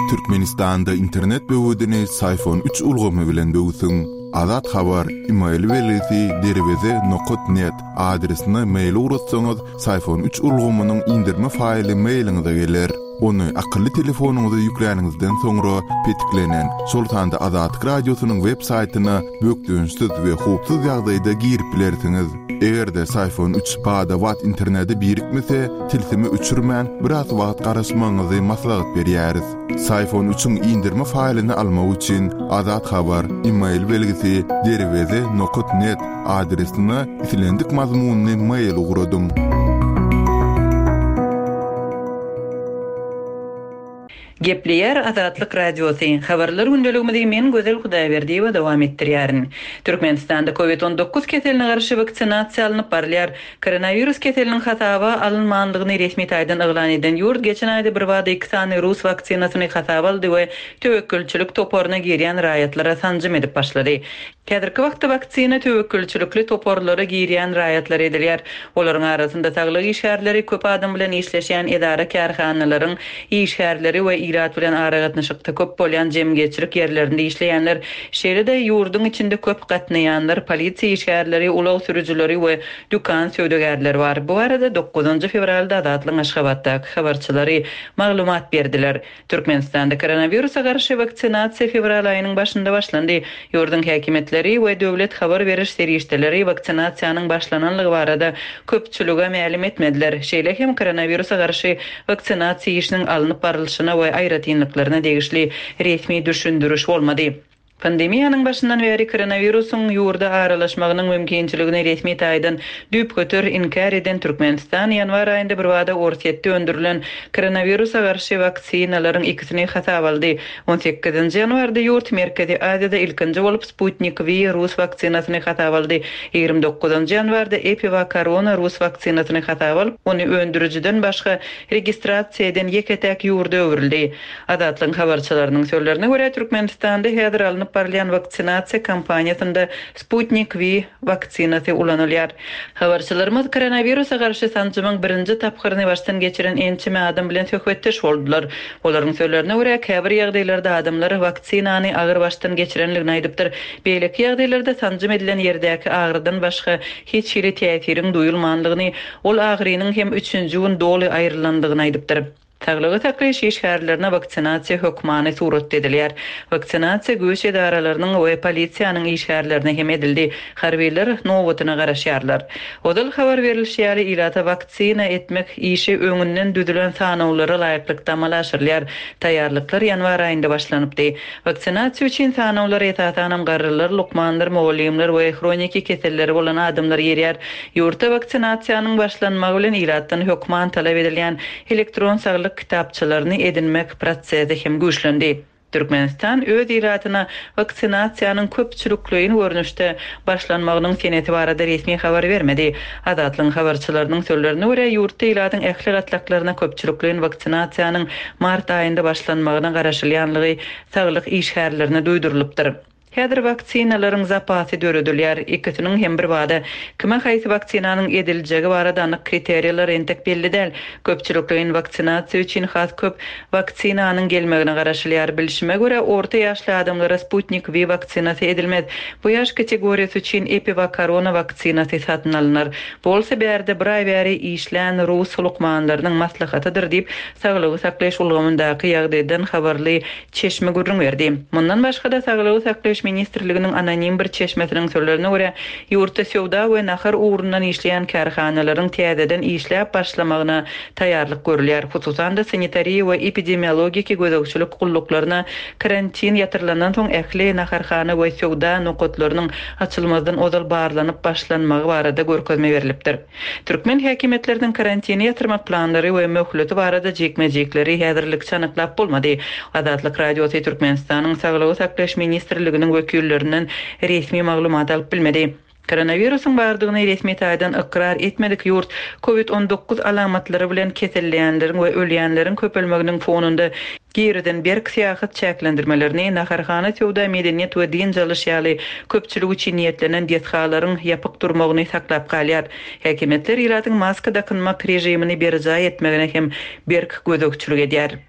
Türkmenistanda internet böwedini Syfon üç ulgamy bilen böwsüň. Azat Habar, email belgisi derweze nokat net adresine mail ugratsaňyz, Syfon üç ulgamynyň indirme faýly mailiňize geler. Ony akylly telefonyňyza ýükläniňizden soňra petiklenen, şol sanda Azatlyk Radiosynyň web saýtyna bökdençsiz we howpsuz ýagdaýda girip bilersiňiz. Eger-de Syfon üç bada-bat internete birikmese, tilsimi öçürmän, biraz wagt garaşmagyňyzy maslahat berýäris. Syfon üçiň indirme faýlyny almak üçin Azat Habar, email belgisi derweze nokat net adresine islendik mazmunly mail ugradyň. Gepleýär Azatlyk Radiosy, Habarlar gündeligimizi men Gözel Hudaýberdiýewa dowam etdirýärin. Türkmenistanda Covid 19 keseline garşy waksinasiýa alnyp barylýar. Koronawirus keseliniň hasaba alynmandygyny resmi taýdan yglan eden ýurt geçen aýda birbada iki sany rus waksinasyny hasaba aldy we töwekgelçilik toparyna girýän raýatlara sanjym edip başlady. Häzirki wagtda waksina töwekgelçilikli toparlara girýän raýatlara edilýär. Olaryň arasynda saglyk işgärleri, köp adam bilen işleşýän edara-kärhanalaryň işgärleri we ilat bilen aragatnaşykda köp bolýan jemgyýetçilik ýerlerinde işleýänler, şeýle-de ýurduň içinde köp gatnaýanlar, polisiýa işgärleri, ulag sürüjileri we dükan söwdagärleri bar. Bu barada dokuzynjy fewralda Azatlygyň Aşgabatdaky habarçylary maglumat berdiler. Türkmenistanda koronawirusa garşy waksinasiýa fewral aýynyň başynda başlandy. Ýurduň häkimiýetleri we döwlet habar beriş serişdeleri waksinasiýanyň başlananlygy barada köpçülige mälim etmediler. Şeýle hem koronawirusa garşy waksinasiýa işiniň alnyp barlyşyna we aýratynlyklaryna degişli resmi düşündiriş bolmady. Pandemiýanyň başyndan bäri koronawirusyň ýurda aralaşmagynyň mümkinçiligini resmi taýdan düýpgöter inkär eden Türkmenistan ýanwar aýynda birbada Orsýetde öndürilen koronawirusa garşy waksinalaryň ikisini hasaba aldy. On sekizinji ýanwarda ýurt Merkezi Aziýada ilkinji bolup Sputnik V rus waksinasyny hasaba aldy. 29 ýanwarda EpiVacCorona rus waksinasyny hasaba alyp, ony öndürijiden başga registrasiýa eden ýeke-täk ýurda öwrüldi. Azatlygyň habarçylarynyň sözlerine görä, Türkmenistanda häzir alnyp barylýan waksinasiýa kampaniýasynda Sputnik V waksinasy ulanylýar. Habarçylarymyz koronawirusa garşy sanjymyň birinji tapgyryny başdan geçiren ençeme adam bilen söhbetdeş boldular. Olaryň sözlerine görä, käbir ýagdaýlarda adamlar waksinany agyr başdan geçirenligini aýdypdyr. Beýleki ýagdaýlarda sanjym edilen ýerdäki agyrydan başga hiç hili täsiriň duýulmanlygyny, ol agyrynyň hem üçünji gün doly aýrylandygyny aýdypdyr. Saglygy saklaýyş işgärlerine waksinasiýa hökmany suratda edilýär. Waksinasiýa güýç edaralarynyň we polisiýanyň işgärlerine hem edildi. Harbylar nobatyna garaşýarlar. Ozal habar berlişi ýaly, ilata waksina etmek işi öňünden düzülen sanawlara laýyklykda amala aşyrylýar. Taýýarlyklar ýanwar aýynda başlanypdy. Waksinasiýa üçin sanawlara esasanam garrylar, lukmanlar, mugallymlar we hroniki keselleri bolan adamlar girýär. Ýurtda waksinasiýanyň başlanmagy bilen ilatdan hökman talap edilýän elektron saglyk kitapçalaryny edinmek prosesi hem güýçlendi. Türkmenistan öz ilatyna waksinasiýanyň köpçülikleýin görnüşde başlanmagynyň senesi barada resmi habar bermedi. Azatlygyň habarçylarynyň sözlerine görä, ýurtda ilatyň ähli gatlaklaryna köpçülikleýin waksinasiýanyň mart aýynda başlanmagyna garaşylýanlygy saglyk işgärlerine duýdurylypdyr. Häzir waksinalaryň zapasy döredilýär. Ikisiniň hem birbada kime haýsy waksinanyň ediljegi barada anyk kriteriýalar entek belli däl. Köpçülikleýin waksinasiýa üçin has köp waksinanyň gelmegine garaşylýar. Bilşime görä, orta ýaşly adamlara Sputnik V waksinasy edilmez. Bu ýaş kategoriýasy üçin EpiVacCorona waksinasy satyn alynar. Bu bolsa bärde bir aý bäri işlän rus lukmanlarynyň maslahatydyr diýip, saglygy saklaýyş ulgamyndaky ýagdaýdan habarly çeşme gürrüň berdi. Mundan başga-da, Saglygy saklaýyş ministrliginiň anonim bir çeşmesiniň sözlerine görä, ýurtda söwda we nahar ugrundan işleýän kärhanalaryň täzeden işläp başlamagyna taýýarlyk görülýär. Hususan-da, sanitariýa we epidemiologiki gözegçilik gulluklaryna karantin ýatyrylandan soň ähli naharhana we söwda nokatlarynyň açylmazdan ozal barlanyp başlanmagy barada görkezme berlipdir. Türkmen häkimiýetleriniň karantini ýatyrmak planlary we möhleti barada jikme-jikleri häzirlikçe anyklap bolmady. Azatlyk Radiosy Türkmenistanyň Saglygy saklaýyş ministrliginiň wekillerinden resmi maglumat alyp bilmedi. Koronawirusyň bardygyny resmi taýdan ykrar etmedik ýurt Covid 19 alamatlary bilen keselleýänleriň we ölýänleriň köpelmeginiň fonunda girizen berk syýahat çäklendirmelerini, naharhana, söwda, medeniýet we dynç alyş ýaly köpçülik üçin niýetlenen desgalaryň ýapyk durmagyny saklap galýar. Häkimiýetler ilatyň maska dakynmak režimini berjaý etmegine hem berk gözegçilik edýär.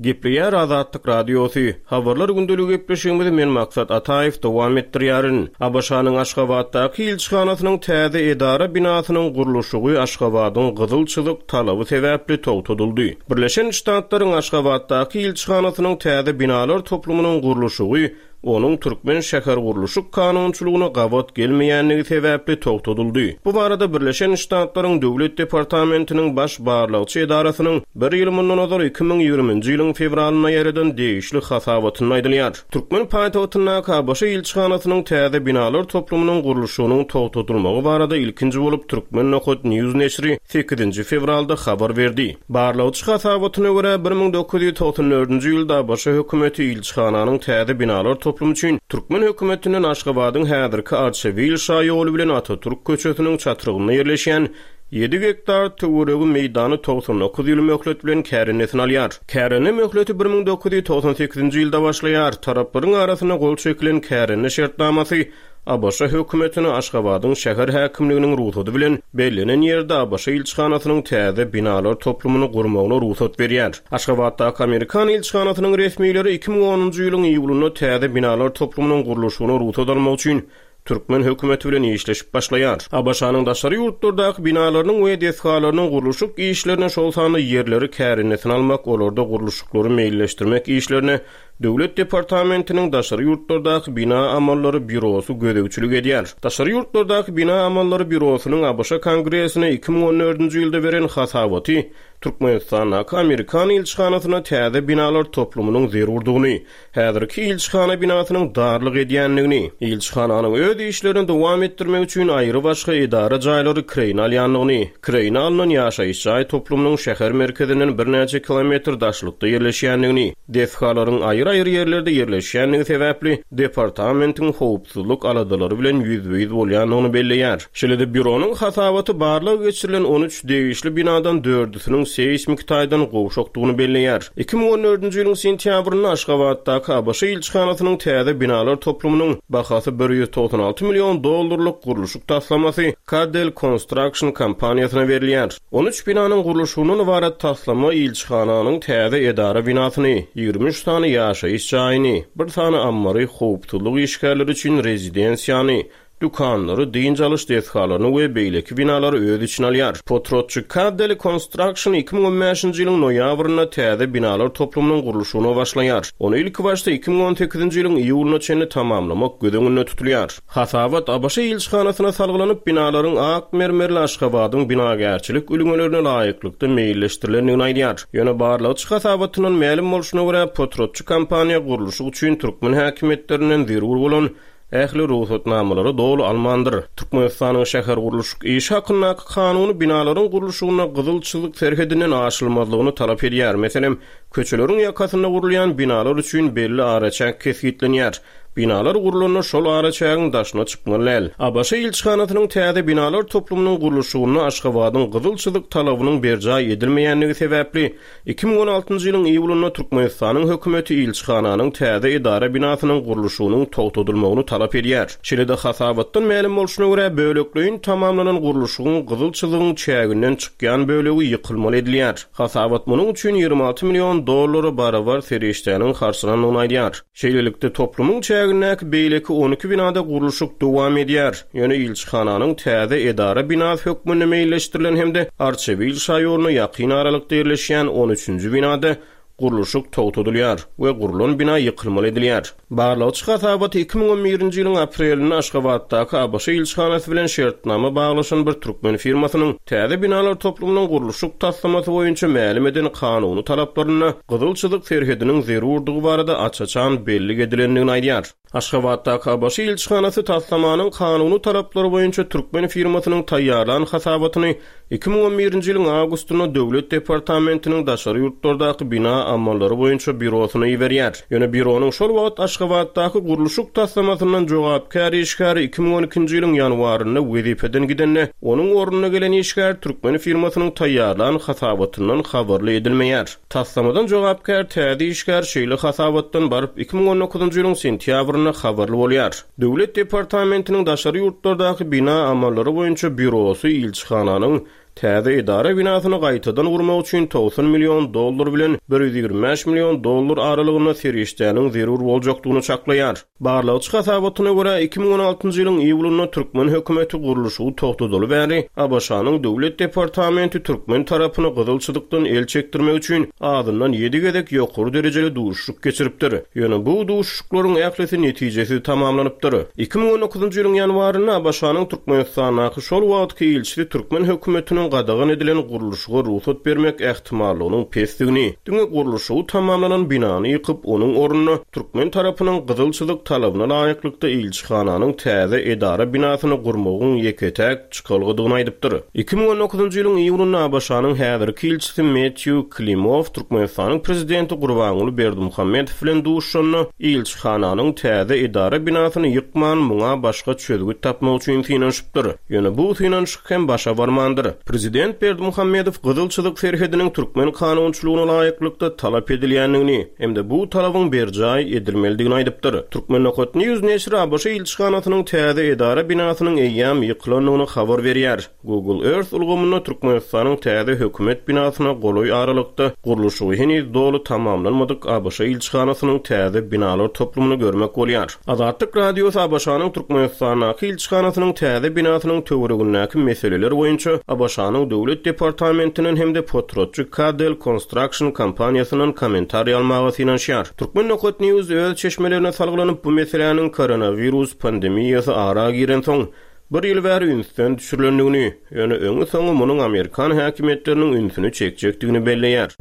Gepleýär Azatlyk Radiosy, Habarlar gündeligi gepleşigimizi men Maksat Ataýew dowam etdirýärin. ABŞ-nyň Aşgabatdaky ilçihanasynyň täze edara binasynyň gurluşygy Aşgabadyň gyzyl çyzyk talaby sebäpli togtadyldy. Birleşen Ştatlaryň Aşgabatdaky ilçihanasynyň täze binalar toplumynyň gurluşygy onuň türkmen şähergurluşyk kanunçylygyna gabat gelmeýändigi sebäpli togtadyldy. Bu barada Birleşen Ştatlaryň Döwlet departamentiniň Baş barlagçy edarasynyň bir ýyl mundan ozal 2020-nji ýylyň fewralynda ýaýradan degişli hasabatynda aýdylýar. Türkmen paýtagtyndaky ABŞ ilçihanasynyň täze binalar toplumynyň gurluşygynyň togtadylmagy barada ilkinji bolup Turkmen. News neşiri sekizinji fewralda habar berdi. Barlagçy hasabatyna görä, 1994-nji ýylda ABŞ hökümeti ilçihananyň täze binalar toplumy üçin türkmen hökümetinden Aşgabadyň häzirki Arçabil şaýoly bilen Atatürk köçesiniň çatrygynda ýerleşýän ýedi gektar töweregi meýdany 99 ýyl möhlet bilen kärendesine alýar. Kärende möhleti 1998-nji ýylda başlaýar. Taraplaryň arasynda gol çekilen kärende şertnamasy ABŞ hökümetine Aşgabadyň şäher häkimliginiň rugsady bilen bellenen ýerde ABŞ ilçihanasynyň täze binalar toplumyny gurmagyna rugsat berýär. Aşgabatdaky amerikan ilçihanasynyň resmileri 2010-njy ýylyň iýulynda täze binalar toplumynyň gurluşygyna rugsat almak üçin türkmen hökümeti bilen işleşip başlaýar. ABŞ-nyň daşary ýurtlardaky binalarynyň we desgalarynyň gurluşyk işlerine, şol sanda ýerleri kärendesine almak, olarda gurluşyklary meýilleşdirmek işlerine Döwlet departamentiniň daşary ýurtlardaky bina amallary býurosy gözegçilik edýär. Daşary ýurtlardaky bina amallary býurosynyň ABŞ Kongresine 2014-nji ýylda beren hasabaty Türkmenistandaky amerikan ilçihanasyna täze binalar toplumynyň zerurdygyny, häzirki ilçihana binasynyň darlyk edýändigini, ilçihananyň öz işlerini dowam etdirmek üçin aýrybaşga edara jaýlary kireýine alýandygyny, kireýine alnan ýaşaýyş jaý toplumynyň şäher merkezinden birnäçe kilometr daşlykda ýerleşýändigini, Desgalaryň aýry-aýry ýerlerde ýerleşýändigi sebäpli, departamentiň howpsuzlyk aladalary bilen ýüzbe-ýüz bolýandygyny belleýär. Şeýle-de býuronyň hasabaty barlag geçirilen 13 degişli binadan dördüsiniň seýsmiki taýdan gowşakdygyny belleýär. 2014-nji ýylyň sentýabrynda Aşgabatdaky ABŞ ilçihanasynyň täze binalar toplumynyň bahasy 196 million dollarlyk gurluşyk taslamasy Cadel Construction kompaniýasyna berilýär. 13 binanyň gurluşygyndan ybarat taslama ilçihananyň täze edara binasyny, 23 sany ýaşaýyş jaýyny, bir sany ammary, howpsuzlyk işgärleri üçin rezidensiýany, dükanlary, dynç alyş desgalaryny we beýleki binalary öz içine alýar. Potratçy Caddeli Construction 2015-nji ýylyň noýabrynda täze binalar toplumynyň gurluşygyna başlaýar. Ony ilkibaşda 2018-nji ýylyň iýulyna çenli tamamlamak göz öňünde tutulýar. Hasabat ABŞ ilçihanasyna salgylanyp, binalaryň ak mermerli Aşgabadyň binagärçilik ülňelerine laýyklykda meýilleşdirilendigini aýdýar. Ýöne barlagçy hasabatyndan mälim bolşuna görä, potratçy kompaniýa gurluşyk üçin türkmen häkimiýetlerinden zerur bolan ähli rugsatnamalary doly almandyr. Türkmenistanyň şähergurluşyk işi hakyndaky kanuny binalaryň gurluşygynda gyzyl çyzyk serhedinden aşylmazlygyny talap edýär. Meselem, köçeleriň ýakasynda gurulýan binalar üçin belli araçäk kesgitlenýär. Binalar gurlanda şol araçägiň daşyna çykmaly däl. ABŞ ilçihanasynyň täze binalar toplumynyň gurluşygynda Aşgabadyň gyzyl çyzyk talabynyň berjaý edilmeýändigi sebäpli, 2016-njy ýylyň iýulynda Türkmenistanyň hökümeti ilçihananyň täze edara binasynyň gurluşygynyň togtadylmagyny talap edýär. Şeýle-de hasabatdan mälim bolşuna görä, bölekleýin tamamlanan gurluşygyň gyzyl çyzygyň çäginden çykýan bölegi ýykylmaly edilýär. Hasabat munuň üçin 26 million dollara barabar serişdäniň harçlanandygyny aýdýar. Şeýlelikde, toplumyň çägindäki beýleki 12 binada gurluşyk dowam edýär. Ýöne ilçihananyň täze edara binasy hökmünde meýilleşdirilen hem-de Arçabil şaýoluna ýakyn aralykda ýerleşýän on üçünji binada gurluşyk togtadylýar we gurlan bina ýykylmaly edilýär. Barlagçy hasabaty 2011-nji ýylyň aprelinde Aşgabatdaky ABŞ ilçihanasy bilen şertnama baglaşan bir türkmen firmasynyň täze binalar toplumynyň gurluşyk taslamasy boýunça mälim eden kanuny talaplarynda gyzyl çyzyk serhediniň zerurdygy barada aç-açan bellik edilendigini aýdýar. Aşgabatdaky ABŞ ilçihanasy taslamanyň kanuny talaplary boýunça türkmen firmasynyň taýýarlan hasabatyny 2011-nji ýylyň awgustynda Döwlet departamentiniň daşary ýurtlardaky bina amallary boýunça býurosyna iberýär. Ýöne býuronyň şol wagt Aşgabatdaky gurluşyk taslamasyndan jogapkär işgäri 2012-nji ýylyň ýanwarynda wezipeden gidende, onuň ornuna gelen işgär türkmen firmasynyň taýýarlan hasabatyndan habarly edilmeýär. Taslamadan jogapkär täze işgär şeýle hasabatdan baryp 2019-njy ýylyň sentýabrynda habarly bolýar. Döwlet departamentiniň daşary ýurtlardaky bina amallary boýunça býurosy ilçihananyň täze edara binasyny gaýtadan gurmak üçin 90 million dollar bilen 125 million dollar aralygynda serişdäniň zerur boljakdygyny çaklaýar. Barlagçy hasabatyna görä, 2016-njy ýylyň iýulynda türkmen hökümeti gurluşygy togtadaly bäri ABŞ-nyň Döwlet departamenti türkmen tarapyny gyzyl çyzykdan el çekdirmek üçin azyndan ýedi gezek ýokary derejeli duşuşyk geçiripdir. Ýöne bu duşuşyklaryň ählisi netijesiz tamamlanypdyr. 2019-njy ýylyň ýanwarynda ABŞ-nyň Türkmenistandaky şol wagtky ilçisi türkmen hökümetiniň gadagan edilen gurluşyga rugsat bermek ähtimallygynyň pesdigini, diňe gurluşygy tamamlanan binany ýykyp, onuň ornuna türkmen tarapynyň gyzyl çyzyk talabyna laýyklykda ilçihananyň täze edara binasyny gurmagyň ýeke-täk çykalgadygyny aýdypdyr. 2019-njy ýylyň iýulynda ABŞ-nyň häzirki ilçisi Metýu Klimow Türkmenistanyň prezidenti Gurbanguly Berdimuhamedow bilen duşuşanda, ilçihananyň täze edara binasyny ýykman, muňa başga çözgüt tapmak üçin synanyşypdyr. Ýöne bu synanyşyk hem başa barmandyr. Prezident Berdimuhamedow Gyzyl çyzyk serhediniň türkmen kanunçylygyna laýyklykda talap edilýändigini hem-de bu talabyň berjaý edilmelidigini aýdypdyr. Turkmenokatnews neşiri ABŞ ilçihanasynyň täze edara binasynyň eýýäm ýykylandygyny habar berýär. Google Earth ulgamynda Türkmenistanyň täze hökümet binasyna golaý aralykda gurluşygy heniz doly tamamlanmadyk ABŞ ilçihanasynyň täze binalar toplumyny görmek bolýar. Azatlyk Radiosy ABŞ-nyň Türkmenistandaky ilçihanasynyň täze binasynyň töweregindäki meseleler boýunça ABŞ-nyň Döwlet departamentinden hem-de potratçy Cadell Construction kompaniýasyndan kommentariý almaga synanyşýar. Turkmen.news öz çeşmelerine salgylanyp, bu meseläniň koronawirus pandemiýasy ara girensoň, bir ýyl bäri ünsden düşürilendigini, ýöne öňi-soňy munuň amerikan häkimiýetleriniň ünsüni çekjekdigini belleýär.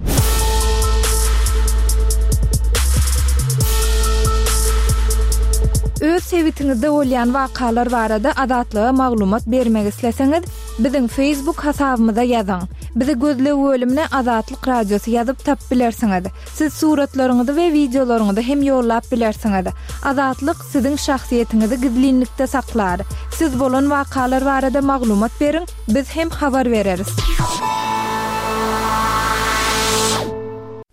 Öz sebitiňizde bolýan wakalar barada Azatlyga maglumat bermek isleseňiz, biziň Facebook hasabymyza ýazyň. Bizi gözleg bölümine Azatlyk Radiosy ýazyp tapyp bilersiňiz. Siz suratlaryňyzy we wideolaryňyzy hem ýollap bilersiňiz. Azatlyk siziň şahsyýetiňizi gizlinlikde saklar. Siz bolan wakalar barada maglumat beriň, biz hem habar bereris.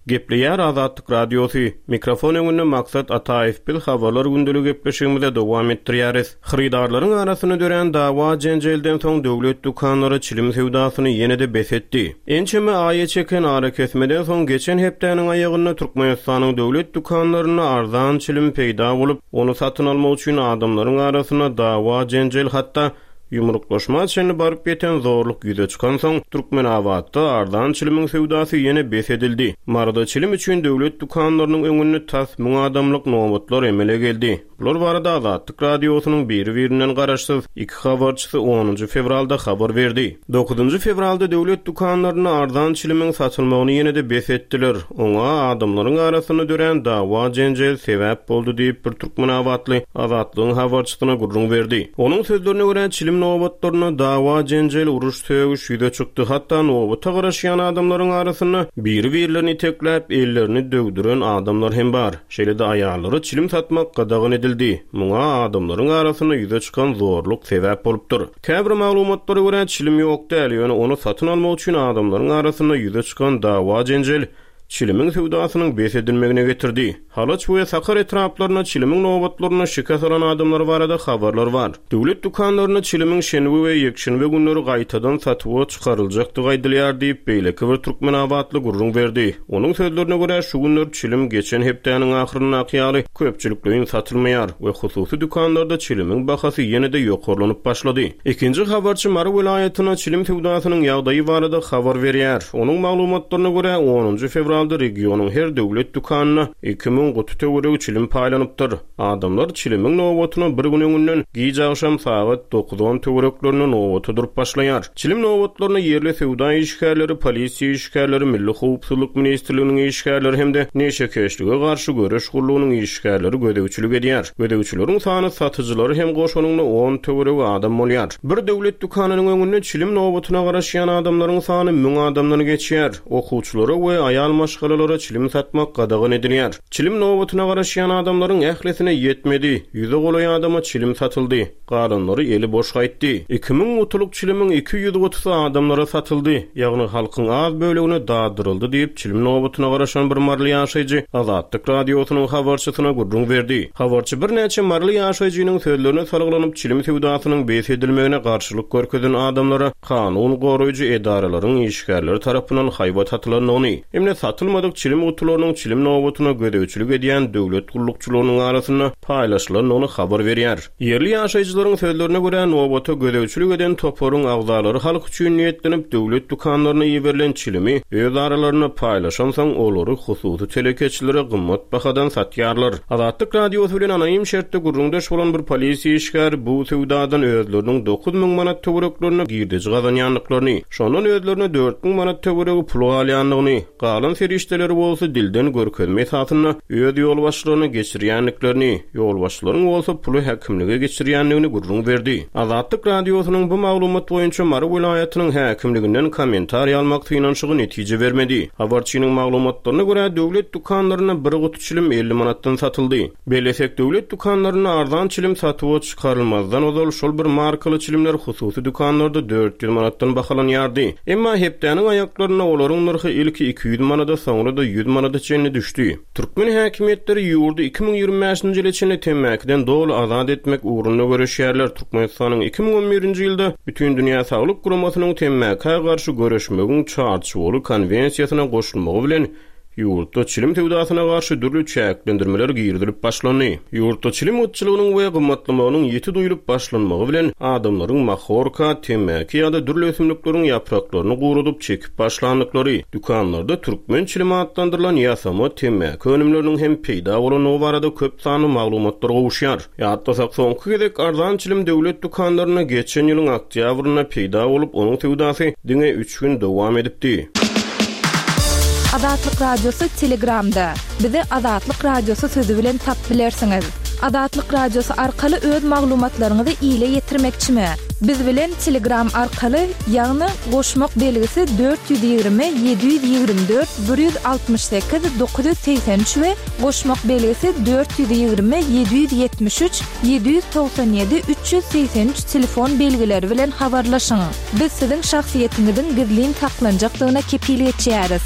Gepleýär Azatlyk Radiosy, Mikrofon öňünde Maksat Ataýew biz Habarlar gündeligi gepleşigimize dowam etdirýäris. Hyrydarlaryň arasynda dörän dawa-jenjelden soň döwlet dükanlary çilim söwdasyny ýene-de bes etdi. Ençeme aýa çeken arakesmeden soň geçen hepdäniň aýagynda Türkmenistanyň döwlet dükanlarynda arzan çilim peýda bolup, ony satyn almak üçin adamlaryň arasynda dawa-jenjel hatda ýumruklaşma çenli baryp ýeten zorluk ýüze çykansoň, Türkmenabatda arzan çilimiň söwdasy ýene bes edildi. Maryda çilim üçin döwlet dükanlarynyň öňünde tas müň adamlyk nobatlar emele geldi. Bular barada Azatlyk Radiosynyň biri-birinden garaşsyz iki habarçysy onunjy fewralda habar berdi. Dokuzynjy fewralda döwlet dükanlarynda arzan çilimiň satylmagyny ýene-de bes etdiler. Oňa adamlaryň arasynda dörän dawa-jenjel sebäp boldy diýip, bir türkmenabatly Azatlygyň habarçysyna gürrüň berdi. Onuň sözlerine görä, çilim nobatlarynda dawa-jenjel, uruş-sögüş ýüze çykdy, hatda nobata garaşýan adamlaryň arasynda biri-birlerini itekläp, ellerini döwdüren adamlar hem bar. Şeýle-de aýallara çilim satmak gadagan edildi. Muňa adamlaryň arasynda ýüze çykan zorluk sebäp bolupdyr. Käbir maglumatlara görä, çilim ýok däl, ýöne ony satyn almak üçin adamlaryň arasynda ýüze çykan dawa-jenjel çilimiň söwdasynyň bes edilmegine getirdi. Halaç we Sakar etraplarynda çilimiň nobatlarynda şikes alan adamlar barada habarlar bar. Döwlet dükanlarynda çilimiň şenbe we ýekşenbe günleri gaýtadan satuwa çykaryljakdygy aýdylýar diýip, beýleki bir türkmenabatly gürrüň berdi. Onuň sözlerine görä, şu günler çilim geçen hepdäniň ahyryndaky ýaly köpçülikleýin satylmaýar we hususy dükanlarda çilimiň bahasy ýene-de ýokarlanyp başlady. Ikinji habarçy Mary welaýatynda çilim söwdasynyň ýagdaýy barada habar berýär. Onuň maglumatlaryna görä, onunjy fewralda. fewralda regionyň her döwlet dükanyna 2000 guty töweregi çilim paýlanypdyr. Adamlar çilimiň nobatyna bir gün öňünden, giç agşam sagat dokuz-on töwereklerinde nobata durup başlaýar. Çilim nobatlaryna ýerli söwda işgärleri, polisiýa işgärleri, Milli howpsuzlyk ministrliginiň işgärleri hem-de neşekeşlige garşy göreş gullugynyň işgärleri gözegçilik edýär. Gözegçileriň sany satyjylary hem goşanyňda on töweregi adam bolýar. Bir döwlet dükanynyň öňünde çilim nobatyna garaşýan adamlaryň sany müň adamdan geçýär. Okuwçylara we aýal maşgalalara çilim satmak gadagan edilýär. Çilim nobatyna garaşýan adamlaryň ählisine ýetmedi, ýüze golaý adama çilim satyldy, galanlary eli boş gaýtdy. 2000 gutulyk çilimiň 200 gutusy adamlara satyldy, ýagny halkyň az bölegine daddyryldy diýip, çilim nobatyna garaşan bir maryly ýaşaýjy Azatlyk Radiosynyň habarçysyna gürrüň berdi. Habarçy birnäçe maryly ýaşaýjynyň sözlerine salgylanyp, çilim söwdasynyň bes edilmegine garşylyk görkezen adamlara kanun goraýjy edaralaryň işgärleri tarapyndan haýbat atylandygyny hem-de satylmadyk çilim gutularynyň çilim nobatyna gözegçilik edýän döwlet gullukçylarynyň arasynda paýlaşylandygyny habar berýär. Ýerli ýaşaýjylaryň sözlerine görä, nobata gözegçilik eden toparyň agzalary halk üçin niýetlenip döwlet dükanlaryna iberilen çilimi öz aralarynda paýlaşansoň, olary hususy telekeçilere gymmat bahadan satýarlar. Azatlyk Radiosy bilen anonim şertde gürrüňdeş bolan bir polisiýa işgäri bu söwdadan özleriniň 9000 manat töwereklerinde girdeji gazanýandyklaryny, şondan özlerine 4000 manat töweregi pul galýandygyny, galan serişdeleri bolsa dilden görkezme esasynda öz ýolbaşçylaryna geçirýändiklerini, ýolbaşçylaryň bolsa puly häkimlige geçirýändigini gürrüň berdi. Azatlyk Radiosynyň bu maglumat boýunça Mary welaýatynyň häkimliginden kommentariý almak synanyşygy netije bermedi. Habarçynyň maglumatlaryna görä, döwlet dükanlarynda bir guty çilim 50 manatdan satyldy. Bellesek, döwlet dükanlarynda arzan çilim satuwa çykarylmazdan ozal şol bir markaly çilimler hususy dükanlarda 400 manatdan bahalanýardy. Emma hepdäniň aýaklarynda olaryň nyrhy ilki 200 manada, soňra-da 100 manada çenli düşdi. Türkmen häkimiýetleri ýurdy 2025-nji ýyla çenli temmäkiden doly azat etmek ugrunda göreşýärler. Türkmenistanyň 2011-nji ýylda Bütindünýä Saglyk Guramasynyň temmäkä garşy göreşmegiň Çarçuwaly konwensiýasyna goşulmagy bilen, ýurtda çilim söwdasyna garşy dürli çäklendirmeler girizilip başlandy. Ýurtda çilim gytçylygynyň we gymmatlamagynyň ýiti duýlup başlanmagy bilen, adamlaryň mahorka, temmäki ýa-da dürli ösümlikleriň ýapraklaryny guradyp çekip başlandyklary, dükanlarda türkmen çilimi atlandyrylan ýasama temmäki önümleriniň hem peýda bolandygy barada köp sanly maglumatlar gowuşýar. Ýatlasak, soňky gezek arzan çilim döwlet dükanlarynda geçen ýylyň oktýabrynda peýda bolup, onuň söwdasy diňe üç gün dowam edipdi. Azatlyk Radiosy Telegramda. Bizi Azatlyk Radiosy sözi bilen tapyp bilersiňiz. Azatlyk Radiosy arkaly öz maglumatlaryňyzy ile ýetirmekçimi? Biz bilen Telegram arkaly, ýagny goşmak belgisi 420 724 168 983 we Goşmak belgisi 420 773 797 383 telefon belgileri bilen habarlaşyň. Biz siziň şahsyýetiňiziň gizlin saklanjakdygyna kepil geçýäris.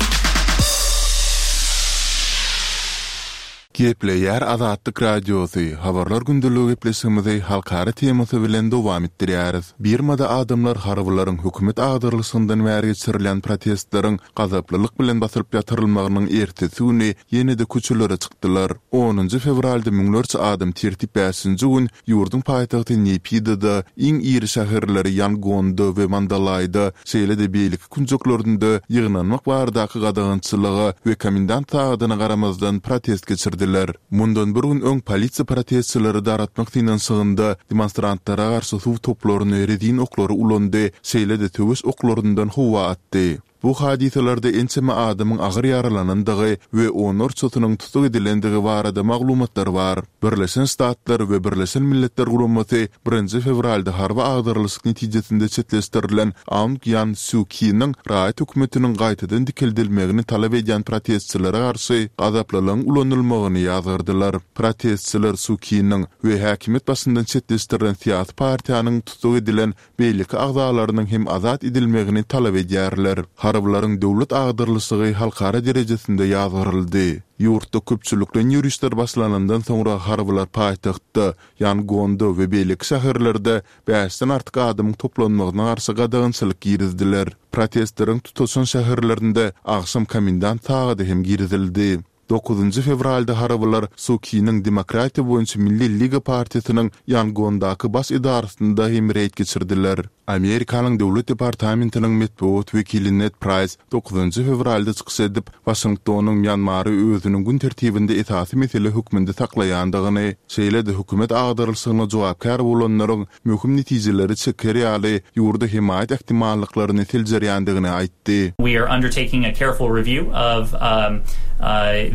Gepleýär Azatlyk Radiosy, Habarlar gündeligi gepleşigimizi halkara temasy bilen dowam etdirýäris. Birmada adamlar harbylaryň hökümet agdarylyşygyndan bäri geçirilýän protestleriň gazaplylyk bilen basylyp ýatyrylmagynyň ertesi güni ýene-de köçelere çykdylar. Onunjy fewralda müňlerçe adam tertip bäşinji gün ýurduň paýtagty Neýpidada, iň iri şäherleri Ýangonda we Mandalaýda, şeýle-de beýleki künjeklerinde ýygnanmak baradaky gadagançylyga we komendant sagadyna garamazdan protest geçirdiler. Mundan bir gün öň polisiýa protestçileri daratmak synanyşygynda demonstrantlara garşy suw toplaryny, rezin oklary ulandy, şeýle-de söweş oklaryndan howa atdy. Bu hadysalarda ençeme adamyň agyr ýaralanandygy we onlarçasynyň tussag edilendigi barada maglumatlar bar. Birleşen Ştatlar we Birleşen Milletler Guramasy birinji fewralda harby agdarylyşyk netijesinde çetleşdirilen Aung Ýan Sýu Kiniň raýat hökümetiniň gaýtadan dikeldilmegini talap edýän protestçilere garşy gazaplylygyň ulanylmagyny ýazgardylar. Protestçiler Suu Kiniň we häkimiýet başyndan çetleşdirilen syýasy partiýanyň tussag edilen beýleki agzalarynyň hem azat edilmegini talap edýärler. Harbylaryň döwlet agdarylyşygy halkara derejesinde ýazgaryldy. Ýurtda köpçülikleýin ýörişler başlanandan soňra harbylar paýtagtda, Ýangonda we beýleki şäherlerde bäşden artyk adamyň toplanmagyna garşy gadagançylyk girizdiler. Protestleriň tutaşan şäherlerinde agşam komendant sagady hem girizildi. Dokuzynjy fewralda harbylar Su Kiniň Demokratiýa boýunça Milli Liga partiýasynyň Ýangondaky baş edarasynda hem reýd geçirdiler. Amerikanyň Döwlet departamentiniň metbugat wekili Ned Praýs dokuzynjy fewralda çykyş edip, Waşingtonyň Mýanmary özüniň gün tertibinde esasy mesele hökmünde saklaýandygyny, şeýle-de hökümet agdarylyşygyna jogapkär bolanlaryň möhüm netijeleri çeker ýaly ýurda hemaýat ähtimallyklaryny seljerýändigini aýtdy. We are undertaking a careful review of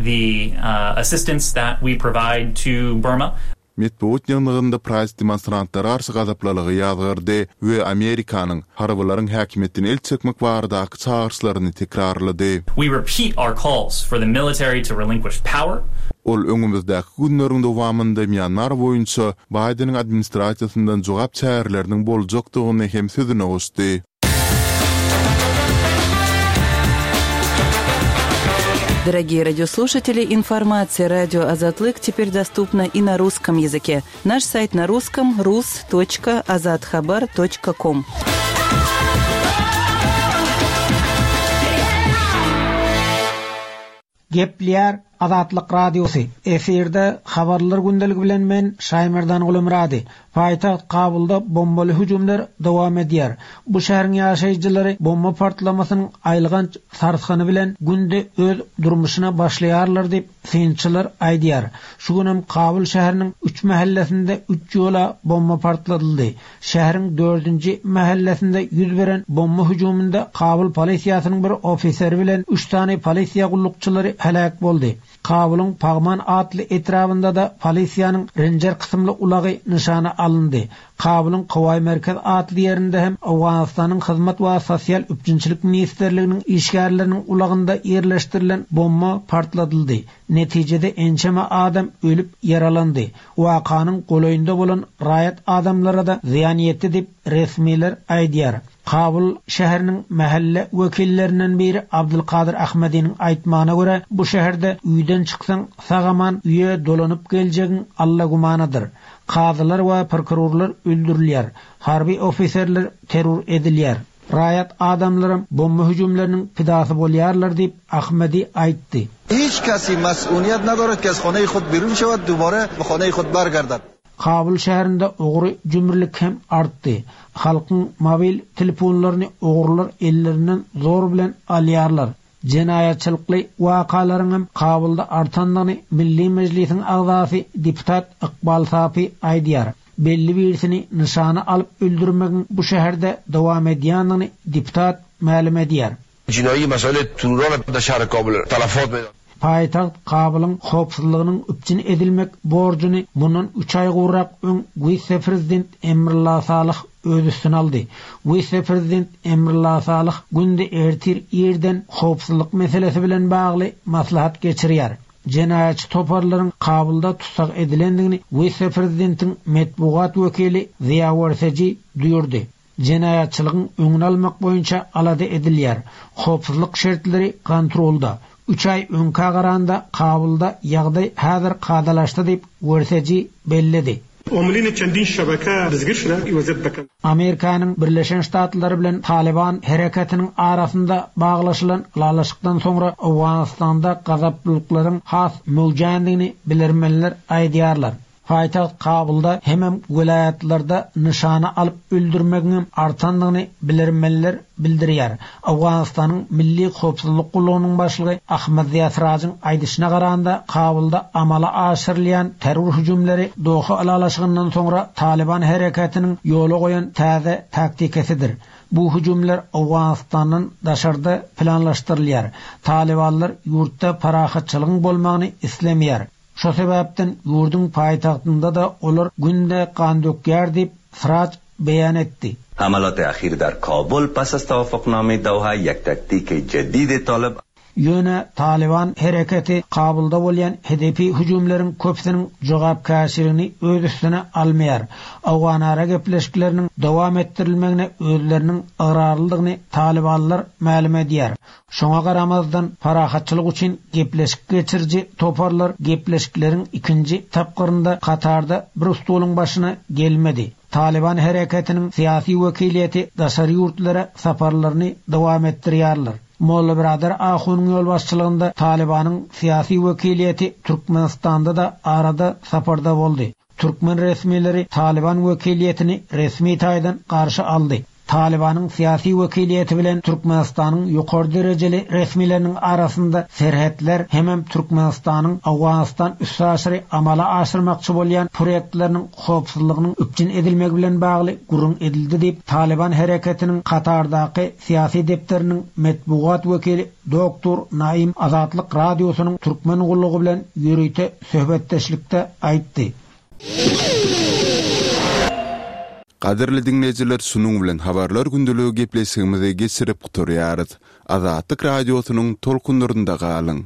the assistance that we provide to Burma. Metbugat ýygnagynda Praýs demonstrantlara garşy gazaplylygy ýazgardy we Amerikanyň harbylaryň häkimiýetden el çekmek baradaky çagyryşlaryny tekrarlady. We repeat our calls for the military to relinquish power. Ol öňümizdäki günleriň dowamynda Mýanmar boýunça Baýdeniň administrasiýasyndan jogap çäreleriniň boljakdygyny hem sözüne goşdy. Дорогие радиослушатели, информация радио Азатлык теперь доступна и на русском языке. Наш сайт на русском rus.azathabar.com. Gepleýär Azatlyk Radiosy, Efirde Habarlar gündeligi bilen men Şaýmerdan Gulumyrady. Paýtagt Kabulda bombaly hüjümler dowam edýär. Bu şäheriň ýaşaýjylary bomba partlamasynyň aýylganç sarsgyny bilen günde öz durmuşyna başlaýarlar diýip, synçylar aýdýar. Şu günem Kabul şäheriniň üç mähellesinde üç ýola bomba partladyldy. Şäheriň dördünji mähellesinde ýüz beren bomba hüjüminde Kabul polisiýasynyň bir ofiseri bilen üç sany polisiýa gullukçylary heläk boldy. Kabulyň Pagman atly etrabynda-da polisiýanyň Renjer kysymly ulagy nyşana alyndy. Kabulyň Kowaý Merkez atly ýerinde hem Owganystanyň Hyzmat we sosial üpjünçilik ministrliginiň işgärleriniň ulagynda ýerleşdirilen bomba partladyldy. Netijede ençeme adam ölüp, ýaralandy. Wakanyň golaýynda bolan raýat adamlara-da zyýan ýetdi diýip, resmiler aýdýar. Kabul şäheriniň mähelle wekillerinden biri Abdulkadyr Ahmediniň aýtmagyna görä, bu şäherde öýden çyksaň, sag-aman öýe dolanyp geljegiň Alla gümanadyr. Kazylar we prokurorlar öldürilýär, harby ofiserler terror edilýär. Raýat adamlaram bomba hüjümleriniň pidasy bolýarlar diýip, Ahmedi aýtdy. Hiç kesi mas'uniyet nadorad ki az khoneyi khud birun şewad dubare be khoneyi khud bargardad. Kabul şäherinde ogry-jümrülik hem artdy. Halkyň mobil telefonlaryny ogrular ellerinden zor bilen alýarlar. Jenaýatçylykly wakalaryň hem Kabulda artandygyny Milli Mejlisiň agzasy deputat Ykbal Sapi aýdýar. Belli birisini nyşana alyp öldürmegiň bu şäherde dowam edýändigini deputat mälim edýär. Jinaýy mesele terror da şähri Kabul talafat meýdan. Paýtagt Kabulyň howpsuzlygynyň üpjün edilmek borjuny mundan üç aý gowrak öň wise-prezident Emrullah Salyh öz üstüne aldy. Wise-prezident Emrullah Salyh günde ertir irden howpsuzlyk meselesi bilen bagly maslahat geçirýär. Jenaýatçy toparlaryň Kabulda tussag edilendigini wise-prezidentiň metbugat wekili Ziýa Werseji duýurdy. Jenaýatçylygyň öňüni almak boýunça alada edilýär. Howpsuzlyk şertleri kontrolda. Üç aý öňkä garanda Kabulda ýagdaý häzir kadalaşdy diýip, Werseji belledi. Amerikanyň Birleşen Ştatlary bilen Talyban hereketiniň arasynda baglaşylan ylalaşykdan soňra Owganystanda gazaplylyklaryň has möwjändigini bilermenler aýdýarlar. Paýtagt Kabulda hemem welaýatlarda nyşana alyp öldürmegiňem artandygyny bilermenler bildirýär. Owganystanyň Milli howpsuzlyk gullugynyň başlygy Ahmad Ziýa Sirajyň aýdyşyna garanda, Kabulda amala aşyrylýan terror hüjümleri Doha ylalaşygyndan soňra Talyban hereketiniň ýola goýan täze taktikesidir. Bu hüjümler Owganystandan daşarda planlaşdyrylýar. Talybanlar ýurtda parahatçylygyň bolmagyny islemeýär. Şo sebäpden ýurduň paýtagtynda-da olar günde gan dökýär diýip, Siraj beýan etdi. حملات اخیر در کابل پس از توافقنامه دوحه یک تکتیک جدید طالب Ýöne Talyban hereketi Kabulda bolýan hedepi hüjümleriň köpüsiniň jogapkärçiligini öz üstüne almaýar. Owganara gepleşikleriniň dowam etdirilmegine özleriniň ygrarlydygyny talybanlar mälim edýär. Şoňa garamazdan, parahatçylyk üçin gepleşik geçiriji toparlar gepleşikleriň ikinji tapgyrynda Katarda bir stoluň başyna gelmedi. Talyban hereketiniň syýasy wekiliýeti daşary ýurtlara saparlaryny dowam etdirýärler. Molla Byradar Ahunyň ýolbaşçylygynda Talybanyň syýasy wekiliýeti Türkmenistanda-da arada saparda boldy. Türkmen resmileri Talyban wekiliýetini resmi taýdan garşy aldy. Talybanyň syýasy wekiliýeti bilen Türkmenistanyň ýokary derejeli resmileriniň arasynda serhetler hemem Türkmenistanyň Owganystan üstaşyry amala aşyrmakçy bolýan proýektleriniň howpsuzlygynyň üpjün edilmegi bilen bagly gürrüň edildi diýip, Talyban hereketiniň Katardaky syýasy depderiniň metbugat wekili doktor Naim Azatlyk Radiosynyň Türkmen gullugy bilen ýörite söhbetdeşlikde aýtdy. Gadyrly diňleýjiler şunuň bilen Habarlar gündeligi gepleşigimizi geçirip gutarýarys. Azatlyk Radiosynyň tolkunlarynda galyň!